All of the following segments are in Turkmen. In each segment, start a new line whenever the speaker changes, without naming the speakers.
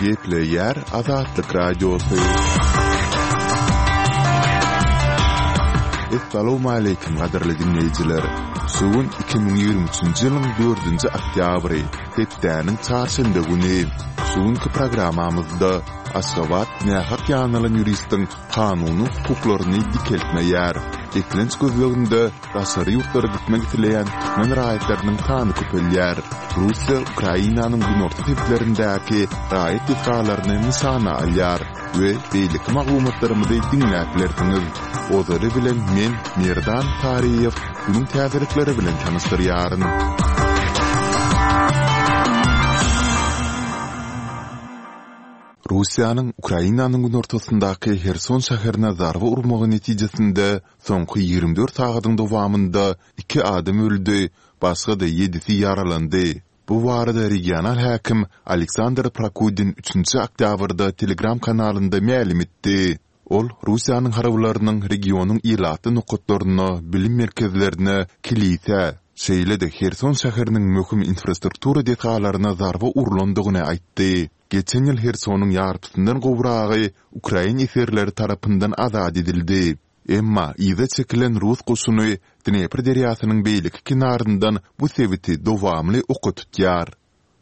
Gepleýär Azatlyk Radiosy. Essalawmaleýkim gadyrly diňleýjiler! Şu gün 2023-nji ýylyň dördünji oktýabry, hepdäniň çarşenbe güni. Şu günki programmamyzda Aşgabat nähak ýanalan ýuristiň kanuny hukuklaryny dikeltmeýär. Eklenç gözleginde daşary ýurtlara gitmek isleýän türkmen raýatlarynyň sany köpelýär. Russiýa Ukrainanyň günorta sebitlerindäki raýat desgalaryny nyşana alýar we beýleki maglumatlarymyzy diňläp bilersiňiz. Ozaly bilen men, Merdan Taryýew, günüň täzelikleri bilen tanyşdyrýaryn. Russiýanyň Ukrainanyň günortasyndaky Herson şäherine zarba urmagy netijesinde soňky 24 sagadyň dowamynda iki adam öldi, başga-da ýedisi ýaralandy. Bu barada regional häkim Aleksandr Prokudin üçünji oktýabrda Telegram kanalynda mälim etdi. Ol Russiýanyň harbylarynyň regionyň ilatly nokatlaryna, bilim merkezlerine, kilisä, şeýle-de Herson şäheriniň möhüm infrastruktura desgalaryna zarba urlandygyny aýtdy. Geçen ýyl Hersonyň ýarpysyndan gowragy ukrain esgerleri tarapyndan azat edildi. Emma yza çekilen rus goşuny Dnepr derýasynyň beýleki kenaryndan bu sebiti dowamly oka tutýar.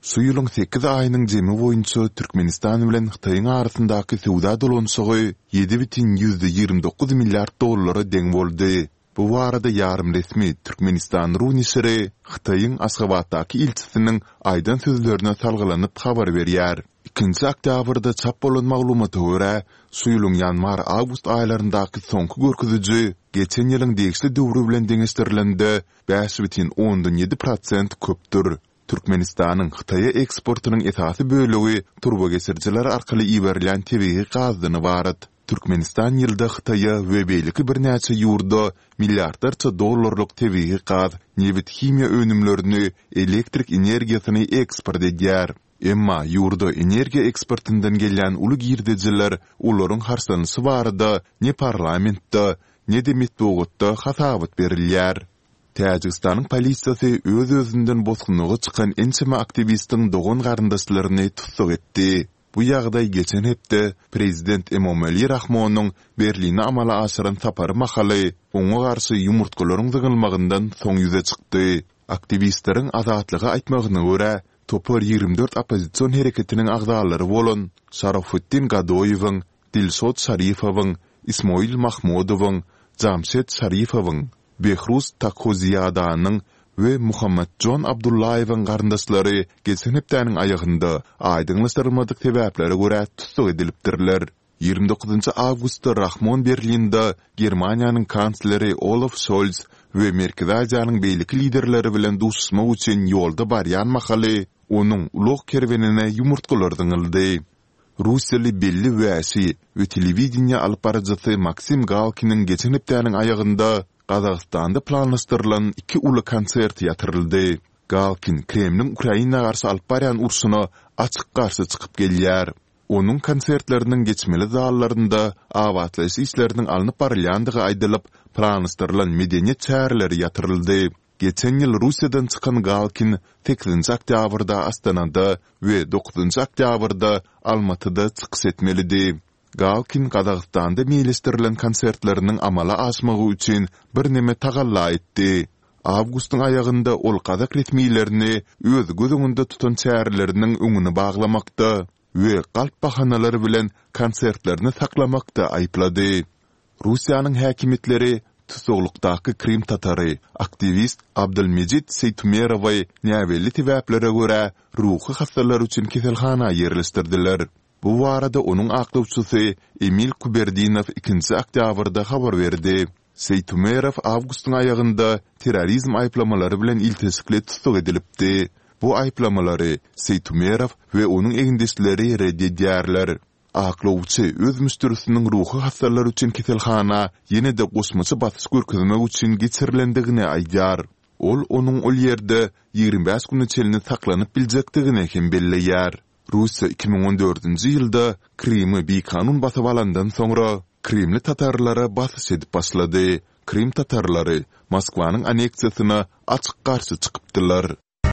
Şu ýylyň sekiz aýynyň jemi boýunça Türkmenistan bilen Hytaýyň arasyndaky söwda dolanyşygy 7,29 milliard dollara deň boldy. Bu barada ýarym resmi Türkmenistan. Ru neşiri Hytaýyň Aşgabatdaky ilçisiniň aýdan sözlerine salgylanyp habar berýär. Ikinji oktýabrda çap bolan maglumata görä, şu ýylyň ýanwar-awgust aýlaryndaky soňky görkeziji geçen ýylyň degişli döwri bilen deňeşdirilende 5,7 prosent köpdür. Türkmenistanyň Hytaýa eksportynyň esasy bölegi turbageçirijiler arkaly iberilýän tebigy gazdan ybarat. Türkmenistan ýylda Hytaýa we beýleki birnäçe ýurda milliardlarça dollarlyk tebigy gaz, nebit-himiýa önümlerini, elektrik energiýasyny eksport edýär. Emma ýurda energiýa eksportyndan gelýän uly girdejiler olaryň harçlanyşy barada ne parlamentde, ne-de metbugatda hasabat berilýär. Täjigistanyň polisiýasy öz-özünden bosgunlyga çykan ençeme aktiwistiň dogan-garyndaşlaryny tussag etdi. Bu ýagdaý geçen hepde prezident Emomali Rahmonyň Berline amala aşyran sapary mahaly oňa garşy ýumurtgalaryň zyňylmagyndan soň ýüze çykdy. Aktiwistleriň Azatlyga aýtmagyna görä, topar 24 oppozision hereketiniň agzalary bolan Şarofiddin Gadoýewiň, Dilşod Şarifowyň, Ismoil Mahmudowyň, Jamşed Şarifowyň, Behruz Takhoziýadanyň we Muhammadjon Abdullaýewiň garyndaşlary geçen hepdäniň aýagynda aýdyňlaşdyrylmadyk sebäplere görä tussag edilipdirler. 29 awgustda Rahmon Berlinde Germaniýanyň kansleri Olaf Şolz we Merkezi Aziýanyň beýleki liderleri bilen duşuşmak üçin ýolda barýan mahaly onuň ulag kerwenine ýumurtgalar zyňyldy. Russiýaly belli wäşi we telewideniýe alyp baryjysy Maksim Galkiniň geçen hepdäniň aýagynda Gazagystanda planlaşdyrylan iki uly konserti ýatyryldy. Galkin Kremliň Ukraina garşy alyp barýan urşuna açyk garşy çykyp gelýär. Onuň konsertleriniň geçmeli zallarynda abatlaýyş işleriniň alnyp barylýandygy aýdylyp, planlaşdyrylan medeniýet çäreleri ýatyryldy. Geçen ýyl Russiýadan çykan Galkin sekizinji oktýabrda Astanada we dokuzynjy oktýabrda Almatyda çykyş etmelidi. Galkin Gazagystanda meýilleşdirilen konsertleriniň amala aşmagy üçin birneme tagalla etdi. Awgustyň aýagynda ol gazak resmilerini öz göz öňünde tutan çäreleriniň öňüni baglamakda we galp bahanalar bilen konsertlerini saklamakda aýyplady. Russiýanyň häkimiýetleri tussaglykdaky krym tatary, aktiwist Abdylmejit Seýtumerowy näbelli sebäplere görä ruhy hassalar üçin keselhana ýerleşdirdiler. Bu barada onuň aklawçysy Emil Kuberdinow ikinji oktýabrda habar berdi. Seýtumerow awgustyň aýagynda terrorizm aýyplamalary bilen ilteşikli tussag edilipdi. Bu aýyplamalary Seýtumerow we onuň egindeşleri ret edýärler. Aklawçy öz müşderisiniň ruhy hassalar üçin keselhana ýene-de goşmaça basyş görkezmek üçin geçirilendigini aýdýar. Ol onuň ol ýerde 25 güne çenli saklanyp biljekdigini hem belleýär. Russiýa 2014-nji ýylda Krymy bikanun basyp alandan soňra, krymly tatarlara basyş edip başlady. Krym tatarlary Moskwanyň anneksiýasyna açyk garşy çykypdylar.